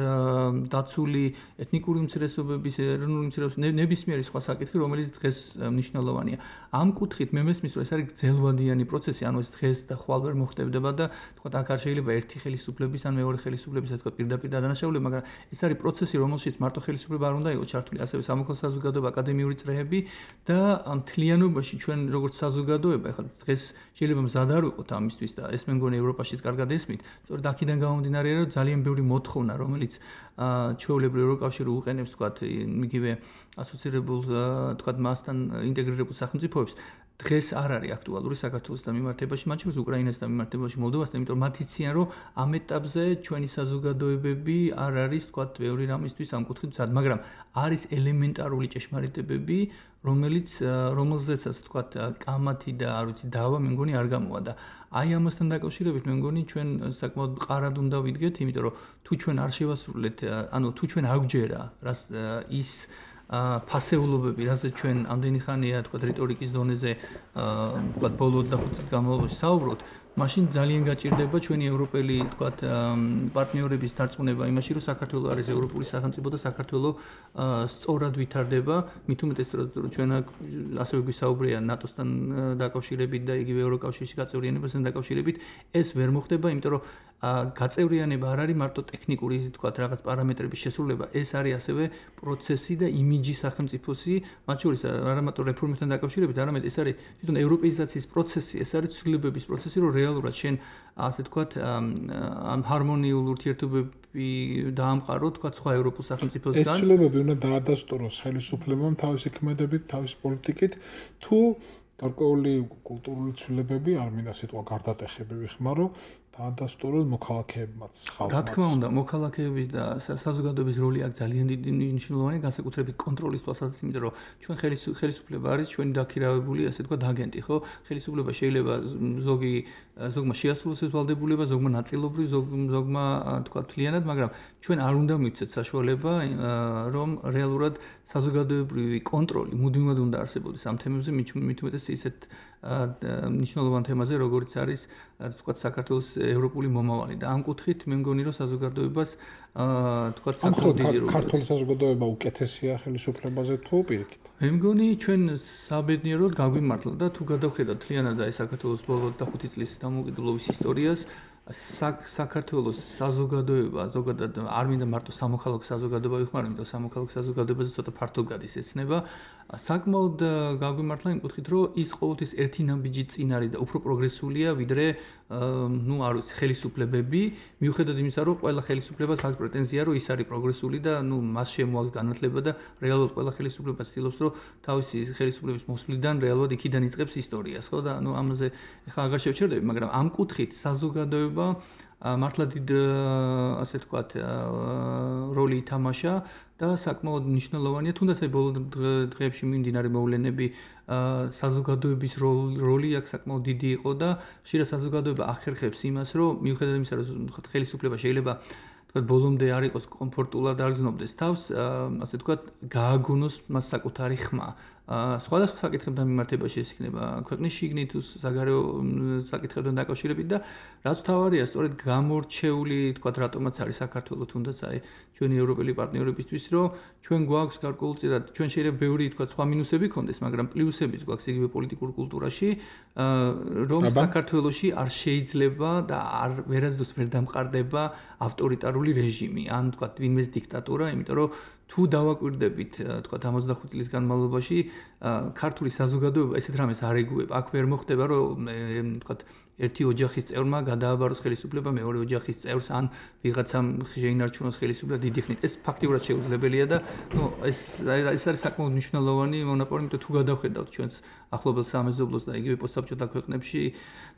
დაცული ეთნიკური უმცირესობების, ეროვნული უმცირესობების, ნებისმიერი სხვა საკითხი, რომელიც დღეს მნიშვნელოვანია. ამ კუთხით მე მესმის, რომ ეს არის გრძელვადიანი პროცესი, ანუ ეს დღეს და ხვალ ვერ მოხდებოდა და თქვათ აქ არ შეიძლება ერთი ხელისუფლების ან მეორე ხელისუფლების თქვათ პირდაპირ დადანაშაულება, მაგრამ ეს არის პროცესი, რომელშიც მარტო ხელისუფლება არ უნდა იყოს ჩართული, ასევე სამოქალაქო საზოგადოება, აკადემიური წრეები და მთლიანობაში ჩვენ როგორც საზოგადოება, ახლა დღეს შეიძლება მზად არ ვიყოთ ამისთვის და ეს მე მგონი ევროპაშიც კარგად ესმით, სწორედ აქედან გამომდინარეა, რომ ძალიან ბევრი მოთხოვნა რომელიც ჩვეულებრივ ევროკავშირი უყენებს თქვათ იგივე ასოცირებულ თქვათ მასთან ინტეგრირებულ სახელმწიფოებს დღეს არ არის აქტუალური საქართველოსთან მიმართებაში, მათ შორის უკრაინასთან მიმართებაში, მოლდოვასთან, იმიტომ რომ მათ იციან, რომ ამ ეტაპზე ჩვენი საზოგადოებები არ არის თქვათ ბევრი რამისთვის ამ კუთხით მზად, მაგრამ არის ელემენტარული ჭეშმარიტებები, რომელზეცაც თქვათ კამათი და არ ვიცი დავა მე მგონი არ გამოვა და აი ამასთან დაკავშირებით მე მგონი ჩვენ საკმაოდ მყარად უნდა ვიდგეთ, იმიტომ რომ თუ ჩვენ არ შევასრულეთ, ანუ თუ ჩვენ არ გვჯერა რას ის ფასეულობები, რასაც ჩვენ ამდენი ხანია თქვათ რიტორიკის დონეზე თქვათ ბოლო 25 წლის განმავლობაში საუბრობთ, მაშინ ძალიან გაჭირდება ჩვენი ევროპელი, თქვათ, პარტნიორების დარწმუნება იმაში, რომ საქართველოს არის ევროპული სახელმწიფო და საქართველოს სწორად ვითარდება, მით უმეტეს რომ ჩვენ ასევე გვისაუბრია ნატოსთან დაკავშირებით და იგივე ევროკავშირში გაწევრიანებასთან დაკავშირებით, ეს ვერ მოხდება, იმიტომ რომ გაწევრიანება არ არის მარტო ტექნიკური, თქვათ, რაღაც პარამეტრების შესრულება, ეს არის ასევე პროცესი და იმიჯი სახელმწიფოსი, მათ შორის არა მარტო რეფორმებთან დაკავშირებით, არამედ ეს არის თვითონ ევროპეიზაციის პროცესი, ეს არის ცვლილებების პროცესი, რომ რეალურად შენ ასე თქვათ ამ ჰარმონიულ ურთიერთობები დაამყარო, თქვათ, სხვა ევროპულ სახელმწიფოსგან. ეს ცვლილებები უნდა დაადასტუროს ხელისუფლებამ თავისი ქმედებით, თავისი პოლიტიკით, თუ გარკვეული კულტურული ცვლილებები, არ მინდა სიტყვა გარდატეხები ვიხმარო, დაადასტუროს მოქალაქეებმაც, ხალხმაც. რა თქმა უნდა, მოქალაქეების და საზოგადოების როლი აქ ძალიან დიდი მნიშვნელოვანია, განსაკუთრებით კონტროლის თვალსაზრისით, იმიტომ რომ ჩვენ ხელისუფლება არის ჩვენი დაქირავებული, ასე თქვა, აგენტი, ხო? ხელისუფლება შეიძლება ზოგმა შეასრულოს ეს ვალდებულება, ზოგმა ნაწილობრივ, ზოგმა თქვა მთლიანად, მაგრამ ჩვენ არ უნდა მივცეთ საშუალება, რომ რეალურად საზოგადოებრივი კონტროლი მუდმივად უნდა არსებობდეს ამ თემებზე, მით უმეტეს ისეთ მნიშვნელოვან თემაზე, როგორც არის თქვა საქართველოს ევროპული მომავალი და ამ კუთხით მე მგონი რომ საზოგადოებას თქვა საკმაოდ დიდი როლი. ქართული საზოგადოება უკეთესია ხელისუფლებაზე თუ პირიქით? მე მგონი ჩვენ საბედნიეროდ გაგვიმართლა და თუ გადავხედავთ მთლიანად აი საქართველოს ბოლო 5 წლის დამოუკიდებლობის ისტორიას, საქართველოს საზოგადოება ზოგადად არ მინდა მარტო სამოქალაქო საზოგადოება ვიხმარო, იმიტომ სამოქალაქო საზოგადოებაზე ცოტა ფართოდ გადის ეცნება. საკმაოდ გაგვიმართლა იმ კუთხით, რომ ის ყოველთვის ერთი ნაბიჯით წინ არის და უფრო პროგრესულია, ვიდრე არ ვიცი, ხელისუფლებები, მიუხედავად იმისა, რომ ყველა ხელისუფლებას აქვს პრეტენზია, რომ ის არის პროგრესული და მას შემოაქვს განათლება და რეალურად ყველა ხელისუფლება ცდილობს, რომ თავისი ხელისუფლების მოსვლიდან რეალურად იქიდან იწყებს ისტორიას, ხო და ამაზე ახლა აღარ შევჩერდები, მაგრამ ამ კუთხით საზოგადოება მართლა დიდ ასე თქვათ როლი ითამაშა და საკმაოდ მნიშვნელოვანია, თუნდაც აი ბოლო დღეებში მიმდინარე მოვლენები საზოგადოების როლი აქ საკმაოდ დიდი იყო და ხშირად საზოგადოება ახერხებს იმას, რომ მიუხედავად იმისა, რომ ხელისუფლება შეიძლება თქვათ ბოლომდე არ იყოს კომფორტულად არ გზნობდეს თავს, ასე თქვათ გააგონოს მას საკუთარი ხმა. სხვადასხვა საკითხებთან მიმართებაში ეს იქნება ქვეყნის შიგნით თუ საგარეო საკითხებთან დაკავშირებით და რაც თავარია, სწორედ გამორჩეული, თქვათ, რატომაც არის საქართველოს თუნდაც აი ჩვენი ევროპელი პარტნიორებისთვის, რომ ჩვენ გვაქვს გარკვეულწილად, ჩვენ შეიძლება ბევრი, თქვათ, სხვა მინუსები ქონდეს, მაგრამ პლუსებიც გვაქვს იგივე პოლიტიკურ კულტურაში, რომ საქართველოში არ შეიძლება და ვერასდროს ვერ დამყარდება ავტორიტარული რეჟიმი, ან თქვათ, ვინმეს დიქტატურა, იმიტომ რომ თუ დავაკვირდებით, თქვათ 65 წლის განმავლობაში ქართული საზოგადოება ესეთ რამეს არ ეგუება. აქ ვერ მოხდება, რომ თქვათ ერთი ოჯახის წევრმა გადააბაროს ხელისუფლება მეორე ოჯახის წევრს ან ვიღაცამ შეინარჩუნოს ხელისუფლება დიდი ხნით. ეს ფაქტიურად შეუძლებელია და ეს არის საკმაოდ მნიშვნელოვანი მონოპოლი, იმიტომ თუ გადავხედავთ ჩვენს ახლობელ სამეზობლოს და იგივე პოსტსაბჭოთა ქვეყნებში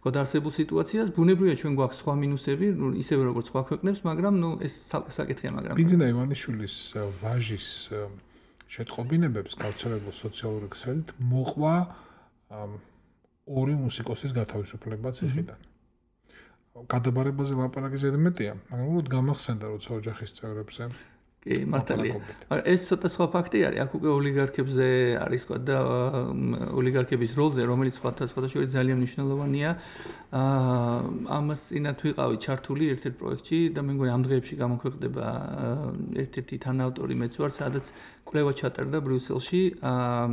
გადაარსებულ სიტუაციას, ბუნებრივია ჩვენ გვაქვს სხვა მინუსები, ისევე როგორც სხვა ქვეყნებს, მაგრამ ეს ცალკე საკითხია, მაგრამ ბინძინა ივანიშვილის ვაჟის შეტყობინებებს გავრცელებულ სოციალური ქსელით მოყვა ორი მუსიკოსის გათავისუფლება ციხიდან. გადაბარებაზე ლაპარაკი ზედმეტია, მაგრამ უბრალოდ გამახსენდა, როცა ოჯახის წევრებზე კი, მართალია. ეს ცოტა სხვა ფაქტი არის, აქ უკვე ოლიგარქებზე არის თქვა და ოლიგარქების როლზე, რომელიც სხვადასხვა ძალიან მნიშვნელოვანია. ამას წინათ ვიყავი ჩართული ერთ-ერთ პროექტში და მე მგონი ამ დღეებში გამოქვეყნდება ერთ-ერთი თანაავტორი მეც ვარ, სადაც კვლევა ჩატარდა ბრიუსელში,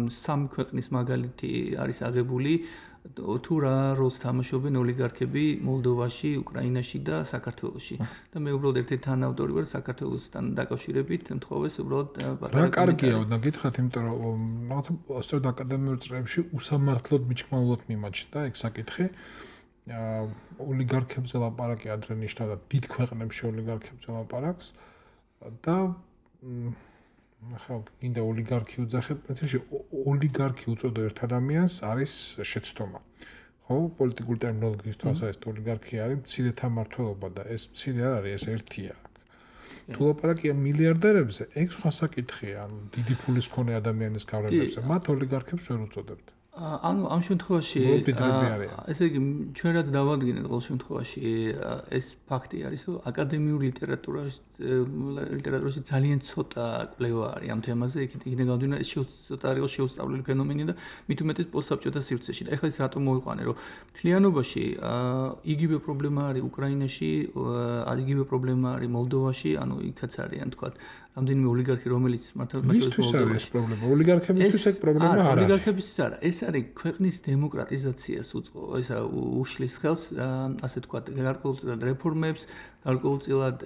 სამი ქვეყნის მაგალითი არის აღებული თუ რა როლს თამაშობენ ოლიგარქები მოლდოვაში, უკრაინაში და საქართველოში. და მე უბრალოდ ერთ-ერთი თანაავტორი ვარ საქართველოსთან დაკავშირებით, მთხოვეს უბრალოდ რა კარგია უნდა გითხრათ, იმიტომ რომ რაღაცა სწორედ აკადემიურ წრეებში უსამართლოდ მიჩქმალულად მიმაჩნდა ეგ საკითხი. ოლიგარქებზე ლაპარაკი ადრე ნიშნავდა დიდ ქვეყნებში ოლიგარქებზე ლაპარაკს და ახლა კიდე ოლიგარქი უძახებ, პრინციპში ოლიგარქი უწოდო ერთ ადამიანს არის შეცდომა. ხო, პოლიტიკური ტერმინოლოგიის თვალსაზრისით ოლიგარქი არის მცირეთა მმართველობა და ეს მცირე არ არის, ეს ერთია. თუ ლაპარაკია მილიარდერებზე, ეგ სხვა საკითხია, ანუ დიდი ფულის მქონე ადამიანის გავლენებზე, მათ ოლიგარქებს ვერ უწოდებთ. ანუ ამ შემთხვევაში ესე იგი ჩვენ რაც დავადგინეთ ყოველ შემთხვევაში ეს ფაქტი არის რომ აკადემიური ლიტერატურაში ძალიან ცოტა კვლევა არის ამ თემაზე იქიდან გამომდინარე ცოტა არის შეუსწავლელი ფენომენი და მით უმეტეს პოსტსაბჭოთა სივრცეში და ეხლა ეს რატომ მოიყვანე რომ მთლიანობაში იგივე პრობლემა არის უკრაინაში იგივე პრობლემა არის მოლდოვაში ანუ იქაც არიან თქვა რამდენიმე ოლიგარქი რომელიც მართლაც ვისთვის არის ეს პრობლემა ოლიგარქებისთვის ეს პრობლემა არ არის ოლიგარქებისთვის არა ეს არის ქვეყნის დემოკრატიზაციას ესა უშლის ხელს ასე თქვა გარკვეულწილად რეფორმებს გარკვეულწილად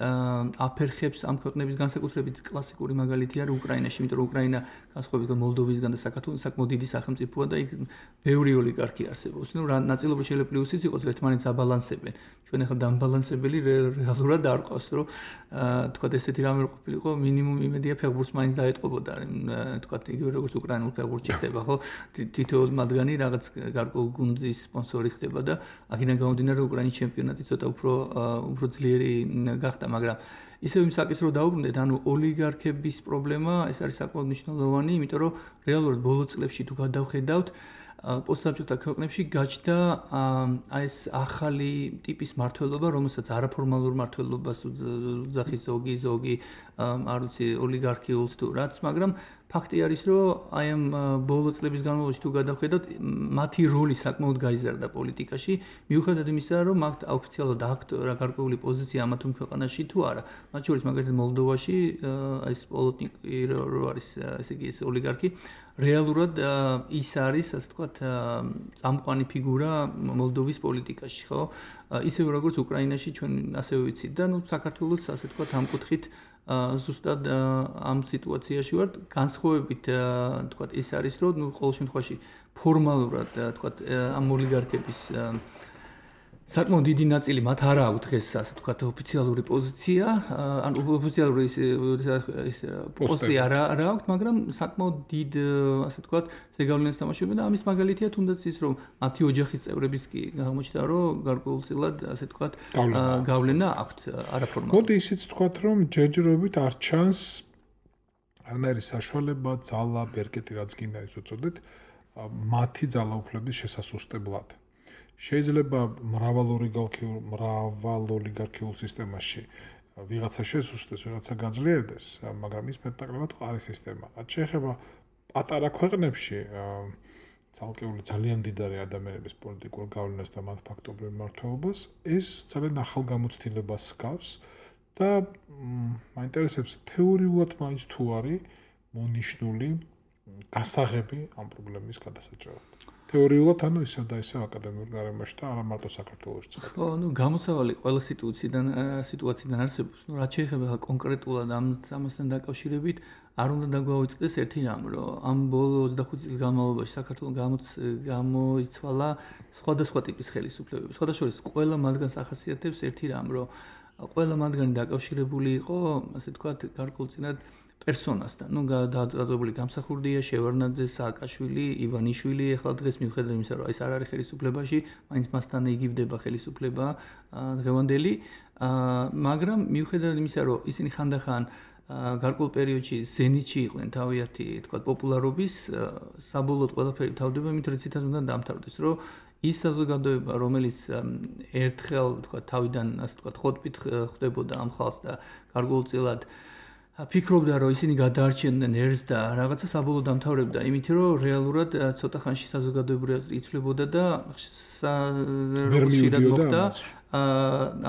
აფერხებს ამ ქვეყნების განსაკუთრებით კლასიკური მაგალითი არის უკრაინაში იმიტომ რომ უკრაინა განსხვავებით მოლდოვისგან და საქართველოს საკმაოდ დიდი სახელმწიფოა და იქ ბევრი ოლიგარქი არსებობს ნუ რა ნაწილობრივ შეიძლება პლუსიც იყოს ერთმანეთს აბალანსებენ ჩვენ ახლა დამბალანსებელი რეალურად არ ყავს რომ თქვა ესეთი რამე ყოფილიყო მინიმუმ იმედია ფეხბურთს მაინც დაეტყობოდა თქვა იგივე როგორც უკრაინულ ფეხბურთში ხდება ხო თითოეულ მათგანი რაღაც გარკვეულ გუნდის სპონსორი ხდება და აქედან გამომდინარე უკრაინის ჩემპიონატი ცოტა უფრო ძლიერი გახდა მაგრამ ისევ იმ საკითხს რო დაუბრუნდეთ ანუ ოლიგარქების პრობლემა ეს არის საკმაოდ მნიშვნელოვანი იმიტომ რომ რეალურად ბოლო წლებში თუ გადავხედავთ პოსტსაბჭოთა ქვეყნებში გაჩნდა ეს ახალი ტიპის მმართველობა რომელსაც არაფორმალურ მმართველობას უძახის ზოგი არ ვიცი ოლიგარქიულს თუ რაც მაგრამ ფაქტი არის რომ აი ამ ბოლო წლების განმავლობაში თუ გადავხედავთ მათი როლი საკმაოდ გაიზარდა პოლიტიკაში მიუხედავად იმისა რომ აქ ოფიციალურად აქვთ გარკვეული პოზიცია ამა თუ იმ ქვეყანაში თუ არა მათ შორის მაგალითად მოლდოვაში ეს პოლიტიკი რო არის ესე იგი ეს ოლიგარქი რეალურად ის არის ასე ვთქვათ წამყვანი ფიგურა მოლდოვის პოლიტიკაში ხო ისევე როგორც უკრაინაში ჩვენ ასევე ვიცით და ნუ საქართველოს ასე ვთქვათ ამ კუთხით ზუსტად ამ სიტუაციაში ვართ განსხვავებით ვთქვათ ის არის რომ ნუ ყოველ შემთხვევაში ფორმალურად ვთქვათ ამ ოლიგარქების საკმაოდ დიდი ნაწილი მათ არ აქვს დღეს ასე ვთქვათ ოფიციალური პოზიცია ან ოფიციალური ის პოსტი არ აქვს მაგრამ საკმაოდ დიდ ასე ვთქვათ ზეგავლენას თამაშობენ და ამის მაგალითია თუნდაც ის რომ მათი ოჯახის წევრების კი აღმოჩნდა რომ გარკვეულწილად ასე ვთქვათ გავლენა აქვთ არაფორმალურად მოდი ისიც ვთქვათ რომ ჯერჯერობით არ ჩანს არანაირი საშუალება ძალა ბერკეტი რაც გინდა ის უწოდეთ მათი ძალაუფლების შესასუსტებლად შეიძლება მრავალ ოლიგარქიულ სისტემაში ვიღაცა შესუსტდეს, ვიღაცა გაძლიერდეს, მაგრამ ის მეტნაკლებად არის სისტემა. რაც შეეხება პატარა ქვეყნებში ცალკეული ძალიან მდიდარი ადამიანების პოლიტიკურ გავლენას და მათ ფაქტობრივ მმართველობას, ეს ძალიან ახალ გამოცდილებას ჰგავს და მაინტერესებს თეორიულად მაინც თუ არის მონიშნული გასაღები ამ პრობლემის გადასაჭრელად. თეორიულად ანუ ისევ და ისევ აკადემიურ გარემოში და არა მარტო საქართველოში. ხო, ну გამოსავალი ყველა სიტუაციიდან არსებობს. Ну რაც შეეხება კონკრეტულად ამასთან დაკავშირებით, არ უნდა დაგვაუწყდეს ერთი რამ, რომ ამ ბოლო 25 წლის განმავლობაში საქართველოს გამოიცვალა სხვადასხვა ტიპის ხელისუფლებები. სხვადასხვა ყველა მათგანს ახასიათებს ერთი რამ, რომ ყველა მათგანი დაკავშირებული იყო, ასე ვთქვათ, გარკვეულწილად პერსონასთან. ნუ დაძაბული გამსახურდია შევარნაძე, სააკაშვილი, ივანიშვილი, ახლა დღეს მიუხედავად იმისა, რომ ეს არ არის ხელისუფლებაში, მაინც მასთან იგივდება ხელისუფლება დღევანდელი, მაგრამ მიუხედავად იმისა, რომ ისინი ხანდახან გარკვეულ პერიოდში ზენიტში იყვნენ თავიანთი, თქვა, პოპულარობის, საბოლოოდ ყველაფერი თავდება იმით, რომ ციტად უნდა დამთავრდეს, რომ ის საზოგადოება, რომელიც ერთხელ, თქვა, თავიდან, ასე თქვა, ხოტბით ხდებოდა ამ ხალხს და გარკვეულწილად ფიქრობდა, რომ ისინი გადაარჩენდნენ ერს და რაღაცა საბოლოოდ დამთავრებდა, იმით, რომ რეალურად ცოტა ხანში საზოგადოება იცვლებოდა და ხშირად მოხდა.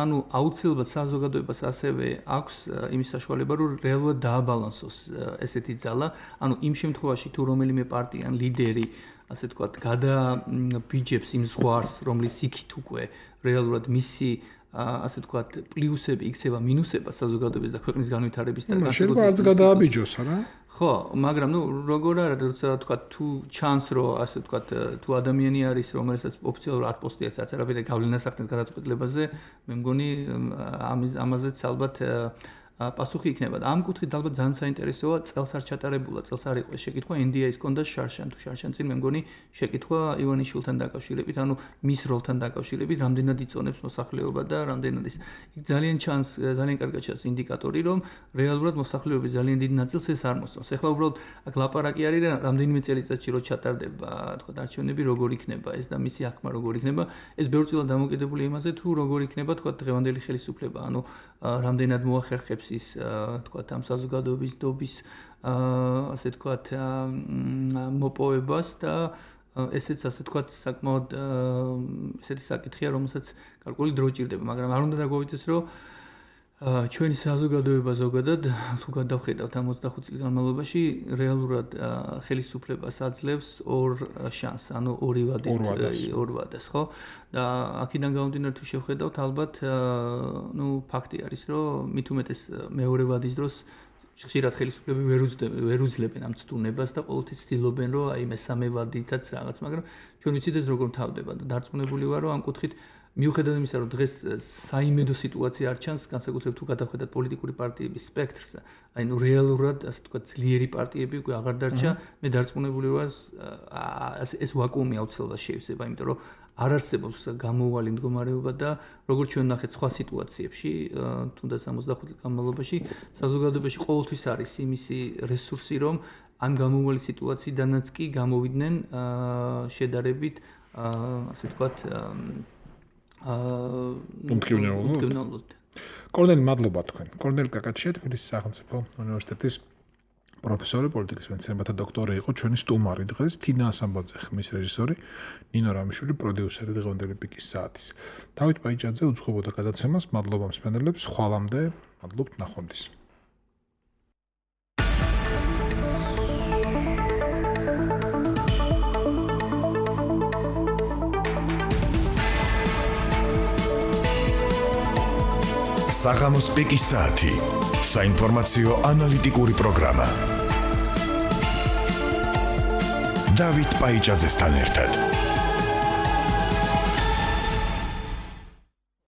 ანუ აუცილებლად საზოგადოებას ასევე აქვს იმის საშუალება, რომ რეალურად დააბალანსოს ესეთი ძალა. ანუ იმ შემთხვევაში თუ რომელიმე პარტია ან ლიდერი, ასე ვთქვათ, გადაბიჯებს იმ ზღვარს, რომლის იქით უკვე რეალურად მისი ასე ვთქვათ, პლუსები იქცევა მინუსება საზოგადოების და ქვეყნის განვითარების და განსაკუთრებით არც გადააბიჯოს, არა? ხო, მაგრამ ნუ როგორ არა, როცა ვთქვათ, თუ ჩანს, რომ ასე ვთქვათ, თუ ადამიანი არის, რომელსაც ოფიციალურად არ პოსტიაც არაფერი გავლენას ახდენს გადაწყვეტილებაზე, მე მგონი ამაზეც ალბათ პასუხი იქნება. ამ კუთხით ალბათ ძალიან საინტერესოა, წელს არ ჩატარებულა, წელს არ იყო შეკითხვა NDI-ის კონდა შარშან, თუ შარშან წინ მე მგონი შეკითხვა ივანიშვილთან დაკავშირებით, ანუ მის როლთან დაკავშირებით, რამდენად იწონებს მოსახლეობა და რამდენად ის ძალიან ჩანს, ძალიან კარგად ჩანს ინდიკატორი, რომ რეალურად მოსახლეობის ძალიან დიდ ნაწილს ეს არ მოსწონს. ეხლა უბრალოდ აქ ლაპარაკი არის რამდენიმე წელიწადში რო ჩატარდება, თქვა არჩევნები როგორ იქნება ეს და მისი აღქმა როგორ იქნება, ეს ბევრწილად დამოკიდებული იმაზე თუ როგორ იქნება თქვა დღევანდელი ხელისუფლება, ანუ რამდენად მოახერხებს ის თქვა ამ საზოგადოების დობის ასე თქვა მოპოვებას და ესეც ასე თქვა საკმაოდ ესეთი საკითხია, რომელსაც გარკვეული დრო ჭირდება, მაგრამ არ უნდა დაგვაუწყდეს, რომ ჩვენი საზოგადოება ზოგადად თუ გადავხედავთ ამ 25 წლის განმავლობაში რეალურად ხელისუფლებას აძლევს ორ შანსს, ანუ ორი ვადას, ხო? და აქედან გამომდინარე თუ შევხედავთ, ალბათ ფაქტი არის, რომ მით უმეტეს მეორე ვადის დროს ხშირად ხელისუფლები ვერ უძლებენ ამ ცდუნებას და ყოველთვის ცდილობენ, რომ აი მესამე ვადითაც რაღაც, მაგრამ ჩვენ ვიცით ეს როგორ თავდება და დარწმუნებული ვარ, რომ ამ კუთხით მიუხედავად იმისა, რომ დღეს საიმედო სიტუაცია არ ჩანს, განსაკუთრებით თუ გადავხედათ პოლიტიკური პარტიების სპექტრს, აი რეალურად ასე თქვა ძლიერი პარტიები უკვე აღარ დარჩა, მე დარწმუნებული ვარ, ეს ვაკუუმი აუცილებლად შეივსება, იმიტომ რომ არ არსებობს გამოუვალი მდგომარეობა და როგორც ჩვენ ნახეთ სხვა სიტუაციებში, თუნდაც 65 წლის განმავლობაში, საზოგადოებაში ყოველთვის არის იმისი რესურსი, რომ ამ გამოუვალი სიტუაციიდანაც კი გამოვიდნენ შედარებით ასე თქვა უმტკივნეულოდ. კორნელი, მადლობა თქვენ. კორნელი კაკაჩია, თბილისის სახელმწიფო უნივერსიტეტის პროფესორი, პოლიტიკის მეცნიერებათა დოქტორი იყო ჩვენი სტუმარი დღეს, თინა ასამბაძე ხმის რეჟისორი, ნინო რამიშვილი პროდიუსერი დღევანდელი პიკის საათის. დავით პაიჭაძე უძღვებოდა გადაცემას, მადლობა მსმენელებს, ხვალამდე, მადლობთ, ნახვამდის. საღამოს პიკის საათი. საინფორმაციო ანალიტიკური პროგრამა. დავით პაიჭაძესთან ერთად.